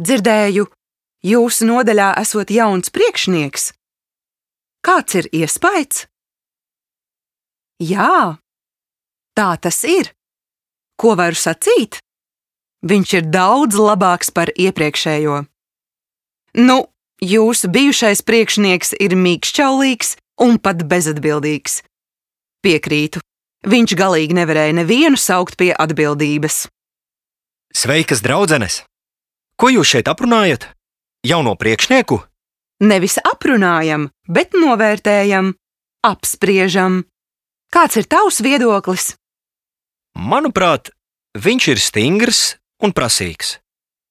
Dzirdēju, jūsu nodaļā esot jauns priekšnieks. Kāds ir iespaids? Jā, tā tas ir. Ko varu sacīt? Viņš ir daudz labāks par iepriekšējo. Nu, jūsu bijušais priekšnieks ir mīkšķaulīgs un pat bezatbildīgs. Piekrītu, viņš galīgi nevarēja nevienu saukt pie atbildības. Sveikas, draudzenes! Ko jūs šeit aprunājat? Jauno priekšnieku? Nevis aprunājam, bet novērtējam, apspriežam. Kāds ir tavs viedoklis? Manuprāt, viņš ir stingrs un prasīgs,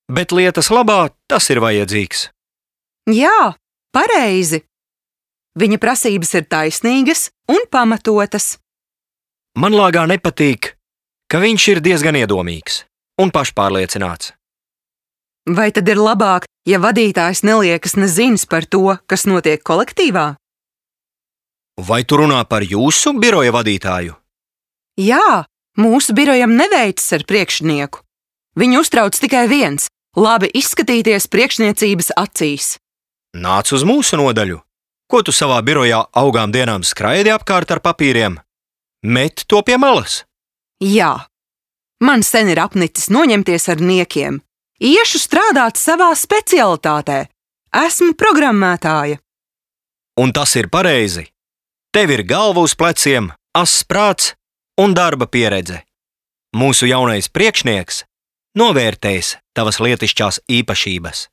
bet lietas labā tas ir vajadzīgs. Jā, pareizi. Viņa prasības ir taisnīgas un pamatotas. Man lāgā nepatīk, ka viņš ir diezgan iedomīgs un pašpārliecināts. Vai tad ir labāk, ja vadītājs neliekas nezins par to, kas notiek kolektīvā? Vai tu runā par jūsu biroja vadītāju? Jā, mūsu birojam neveicas ar priekšnieku. Viņu uztrauc tikai viens – labi izskatīties priekšniecības acīs. Nāc uz mūsu nodaļu. Ko tu savā birojā augām dienām skraidi apkārt ar papīriem? Met to pie malas. Jā, man sen ir apnicis noņemties ar niekiem. Iešu strādāt savā specialitātē. Esmu programmētāja. Un tas ir pareizi. Tev ir galva uz pleciem, ass prāts un darba pieredze. Mūsu jaunais priekšnieks novērtēs tavas lietišķās īpašības.